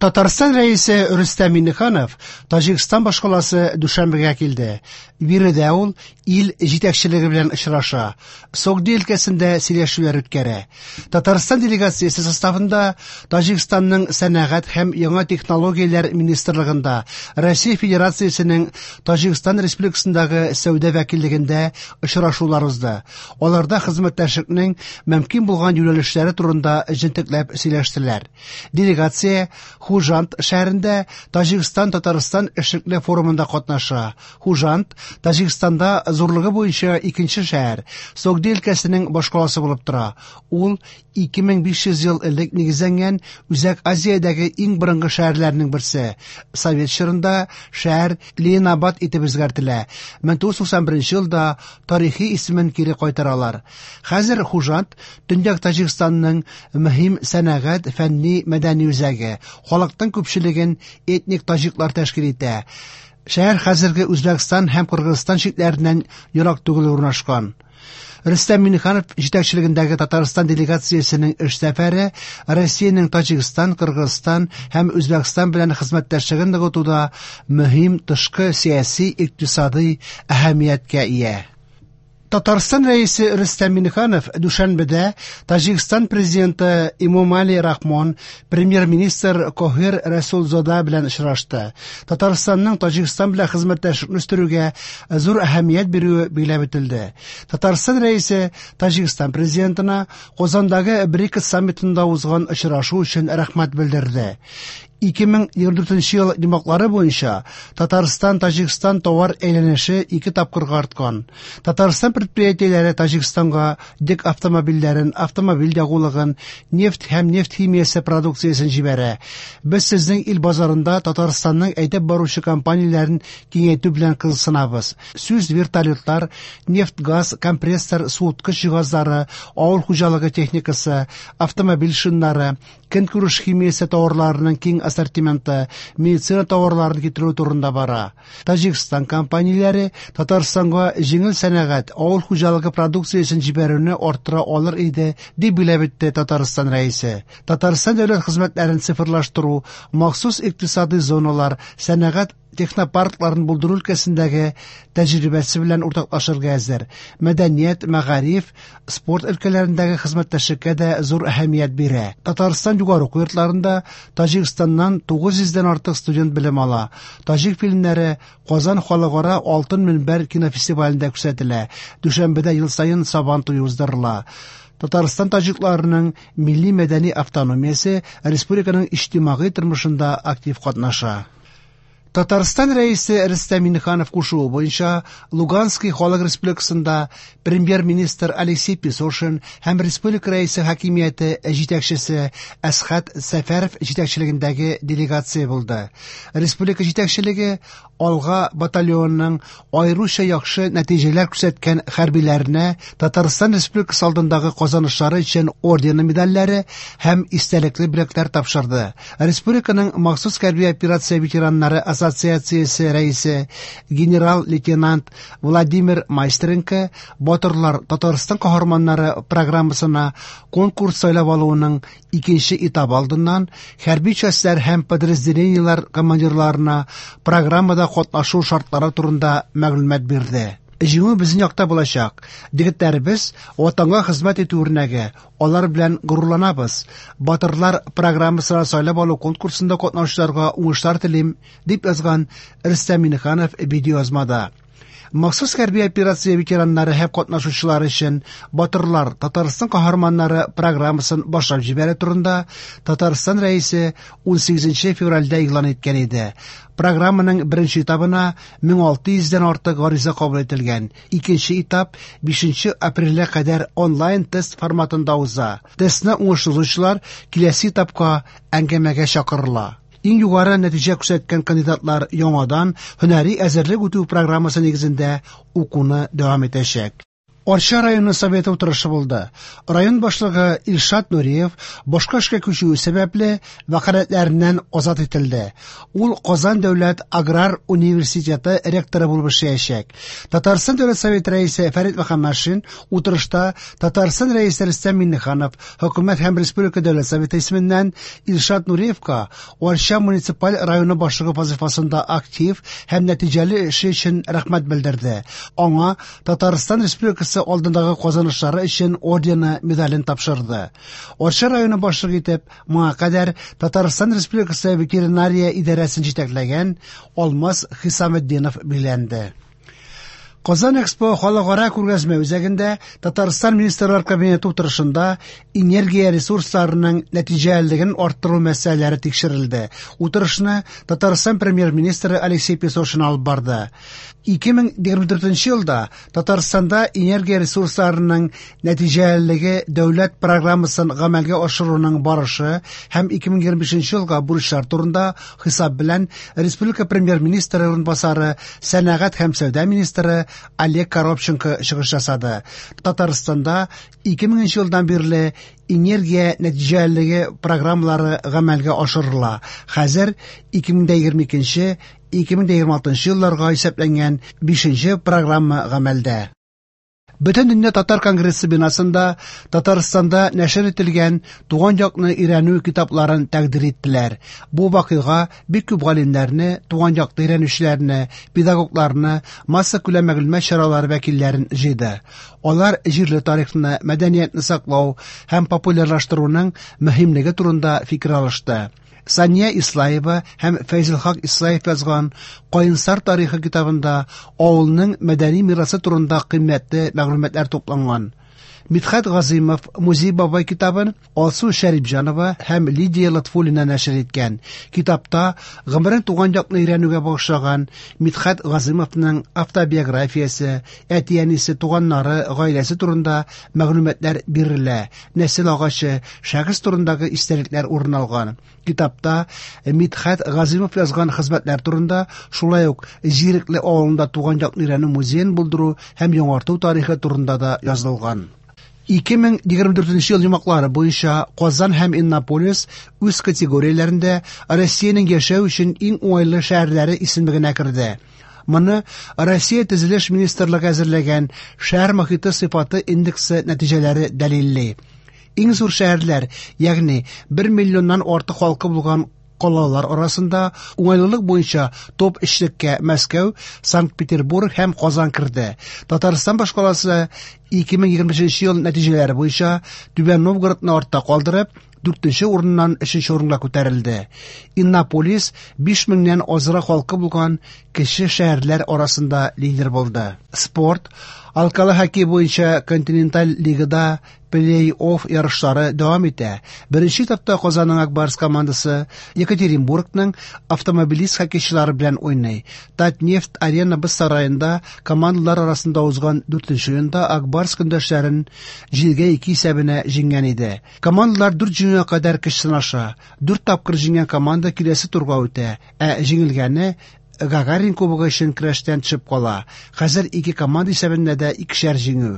Татарстан Рәисе Рөстәм Миңнеханов Таҗикстан башкаласы Дүшәнбегә килде. Биредә ул ил җитәкчелеге белән очраша, Согди өлкәсендә сөйләшүләр үткәрә. Татарстан делегациясе составында Таҗикстанның сәнәгать һәм яңа технологияләр министрлыгында, Россия Федерациясенең Таҗикстан Республикасындагы сәүдә вәкиллегендә очрашулар узды. Аларда хезмәттәшлекнең мөмкин булган юнәлешләре турында җентекләп сөйләштеләр. Делегация Хуҗанд шәһәрендә Таҗикстан-Татарстан эшлекле форумында катнаша. Хуҗанд Таҗикстанда зурлыгы буенча икенче шәһәр, Согди өлкәсенең башкаласы булып тора. Ул 2500 ел элек нигезләнгән Үзәк Азиядәге иң борынгы шәһәрләрнең берсе. Совет чорында шәһәр Ленинабад итеп үзгәртелә. 1991 елда тарихи исемен кире кайтаралар. Хәзер Хуҗанд Төньяк Таҗикстанның мөһим сәнәгать, фәнни, мәдәни үзәге. Халыкның күпчелеген этник таҗиклар тәшкил итә. Шәһәр хәзерге Үзбәкстан һәм Кыргызстан чикләреннән ерак түгел урнашкан. Рөстәм Миңнеханов җитәкчелегендәге Татарстан делегациясенең эш сәфәре Россиянең Таҗикстан, Кыргызстан һәм Үзбәкстан белән хезмәттәшлеген ныгытуда мөһим тышкы сәяси, икътисадый әһәмияткә ия. Татарстан Рәисе Рөстәм Миңнеханов Дүшәнбедә Таҗикстан президенты Эмомали Рахмон, премьер-министр Кохир Рәсулзода белән очрашты. Татарстанның Таҗикстан белән хезмәттәшлекне үстерүгә зур әһәмият бирүе билгеләп үтелде. Татарстан Рәисе Таҗикстан президентына Казандагы БРИКС саммитында узган очрашу өчен рәхмәт белдерде. 2024 ел йомгаклары буенча Татарстан-Таҗикстан товар әйләнеше ике тапкырга арткан. Татарстан предприятиеләре Таҗикстанга йөк автомобильләрен, автомобиль ягулыгын, нефть һәм нефть химиясе продукциясен җибәрә. Без сезнең ил базарында Татарстанның әйдәп баручы компанияләрен киңәйтү белән кызыксынабыз. Сүз вертолетлар, нефть-газ, компрессор, суыткыч җиһазлары, авыл хуҗалыгы техникасы, автомобиль шиннары, көнкүреш химиясе товарларының киң ассортименты, медицина товарларын китерү турында бара. Таҗикстан компанияләре Татарстанга җиңел сәнәгать, авыл хуҗалыгы продукциясен җибәрүне арттыра алыр иде, дип билгеләп үтте Татарстан Рәисе. Татарстан дәүләт хезмәтләрен цифрлаштыру, махсус икътисадый зоналар, сәнәгать технопаркларын булдыру өлкәсендәге тәҗрибәсе белән уртаклашырга әзер. Мәдәният, мәгариф, спорт өлкәләрендәге хезмәттәшлеккә дә зур әһәмият бирә. Татарстан югары уку йортларында Таҗикстаннан 900 дән артык студент белем ала. Таҗик фильмнары Казан халыкара Алтын мөнбәр кинофестивалендә күрсәтелә. Дүшәнбедә ел саен Сабан туе уздырыла. Татарстан таҗикларының милли мәдәни автономиясе республиканың иҗтимагый тормышында актив катнаша. Татарстан Рәисе Рөстәм Миңнеханов кушуы буенча Луганский халык республикасында премьер-министр Алексей Песошин һәм республика Рәисе хакимияте җитәкчесе Әсхәт Сәфәров җитәкчелегендәге делегация булды. Республика җитәкчелеге Алга батальонының аеруча яхшы нәтиҗәләр күрсәткән хәрбиләренә Татарстан Республикасы алдындагы казанышлары өчен ордены медальләре һәм истәлекле бүләкләр тапшырды. Республиканың махсус хәрби операция ветераннары ассоциациясе рәисе генерал-лейтенант Владимир Майстренко Батырлар Татарстан каһарманнары программасына конкурс сайлап алуының икенче этабы алдыннан хәрби частьләр һәм подразделениеләр командирларына программада катнашу шартлары турында мәгълүмат бирде. Җиңү безнең якта булачак. Егетләребез Ватанга хезмәт итү үрнәге, алар белән горурланабыз. Батырлар программасына сайлап алу конкурсында катнашучыларга уңышлар телим, дип язган Рөстәм Миңнеханов видеоязмада. Махсус хәрби операция ветераннары һәм катнашучылары өчен Батырлар Татарстан каһарманнары программасын башлап җибәрү турында Татарстан Рәисе 18 февральдә игълан иткән иде. Программаның беренче этабына 1600 дән артык гариза кабул ителгән. Икенче этап 5 апрельгә кадәр онлайн тест форматында уза. Тестны уңышлы узучылар киләсе этапка әңгәмәгә чакырыла. Иң югары нәтиҗә күрсәткән кандидатлар яңадан һөнәри әзерлек үтү программасы нигезендә укуны дәвам итәчәк. Арча районы советы утырышы булды. Район башлыгы Илшат Нуриев башка эшкә күчүе сәбәпле вәкаләтләреннән азат ителде. Ул Казан дәүләт аграр университеты ректоры булып эшләячәк. Татарстан Дәүләт Советы рәисе Фәрит Мөхәммәтшин утырышта Татарстан рәисе Рөстәм Миңнеханов, хөкүмәт һәм республика Дәүләт Советы исеменнән Илшат Нуриевка Арча муниципаль районы башлыгы вазифасында актив һәм нәтиҗәле эше өчен рәхмәт белдерде. Аңа Татарстан Республикасы алдындагы казанышлары өчен ордены медален тапшырды. Арча районы башлыгы итеп моңа кадәр Татарстан Республикасы ветеринария идарәсен җитәкләгән Алмаз Хисаметдинов билгеләнде. Казан Экспо халыкара күргәзмә үзәгендә Татарстан Министрлар Кабинеты утырышында энергия ресурсларының нәтиҗәлелеген арттыру мәсьәләләре тикшерелде. Утырышны Татарстан Премьер-министры Алексей Песошин алып барды. 2024 елда Татарстанда энергия ресурсларының нәтиҗәлелеге дәүләт программасын гамәлгә ашыруның барышы һәм 2025 елга бурычлар турында хисап белән республика премьер-министры урынбасары, сәнәгать һәм сәүдә министры Олег Коробченко чыгыш ясады. Татарстанда 2000 елдан бирле энергия нәтиҗәлелеге программалары гамәлгә ашырыла. Хәзер 2022-2026 елларга исәпләнгән 5 программа гамәлдә. Бөтендөнья татар конгрессы бинасында Татарстанда нәшер ителгән туган якны өйрәнү китапларын тәкъдир иттеләр. Бу вакыйга бик күп галимнәрне, туган якны өйрәнүчеләрне, педагогларны, массакүләм мәгълүмат чаралары вәкилләрен җыйды. Алар җирле тарихны, мәдәниятне саклау һәм популярлаштыруның мөһимлеге турында фикер алышты. Сания Ислаева һәм Фәйзелхак Ислаев язган Каенсар тарихы китабында авылның мәдәни мирасы турында кыйммәтле мәгълүматлар тупланган. Мидхәт Газыймов Музей бабай китабын Алсу Шәрипҗанова һәм Лидия Лотфуллина нәшер иткән. Китапта гомерен туган якны өйрәнүгә багышлаган Мидхәт Газыймовның автобиографиясе, әти-әнисе, туганнары, гаиләсе турында мәгълүматлар бирелә, нәсел агачы, шәхес турындагы истәлекләр урын алган. Китапта Мидхәт Газыймов язган хезмәтләр турында, шулай ук Зирекле авылында туган якны өйрәнү музеен булдыру һәм яңарту тарихы турында да язылган. 2024 ел йомгаклары буенча Казан һәм Иннополис үз категорияләрендә Россиянең яшәү өчен иң уңайлы шәһәрләре исемлегенә керде. Моны Россия Төзелеш министрлыгы әзерләгән шәһәр мохите сыйфаты индексы нәтиҗәләре дәлилли. Иң зур шәһәрләр, ягъни 1 миллионнан артык халкы булган калалар арасында уңайлылык буенча топ өчлеккә Мәскәү, Санкт-Петербург һәм Казан керде. Татарстан башкаласы 2025 ел нәтиҗәләре буенча Түбән Новгородны артта калдырып, 4нче урыннан 3нче урынга күтәрелде. Иннополис 5000-нән азрак халкы булган кече шәһәрләр арасында лидер булды. Спорт, алкалы хоккей буенча континенталь лигада плей-офф ярышлары дәвам итә. Беренче этапта Казанның Ак Барс командасы Екатеринбургның Автомобилист хоккейчылары белән уйный. Татнефть Арена боз сараенда командалар арасында узган 4нче уенда Ак Барс көндәшләрен 7-2 исәбенә җиңгән иде. Командалар 4 җиңүгә кадәр көч сынаша. 4 тапкыр җиңгән команда киләсе турга үтә, ә җиңелгәне Гагарин кубогы өчен көрәштән төшеп кала. Хәзер ике команда исәбендә дә икешәр җиңү.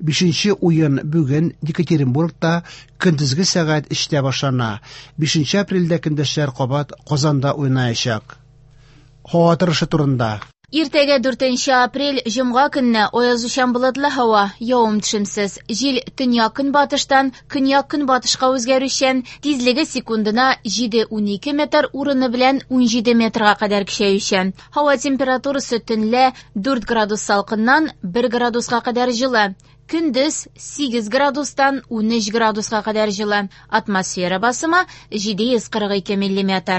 5нче уен бүген Екатеринбургта көндезге сәгать 3-тә башлана. 5 апрельдә көндәшләр кабат Казанда уйнаячак. Һава торышы турында. Иртәгә 4 апрель җомга көнне аязучан болытлы һава, явым-төшемсез. Җил төньяк-көнбатыштан көньяк-көнбатышка үзгәрүчән, тизлеге секундына 7-12 метр, урыны белән 17 метрга кадәр көчәючән. Һава температурасы төнлә 4 градус салкыннан 1 градуска кадәр җылы. Көндез 8 градустан 13 градуска кадәр җылы. Атмосфера басымы 742 миллиметр.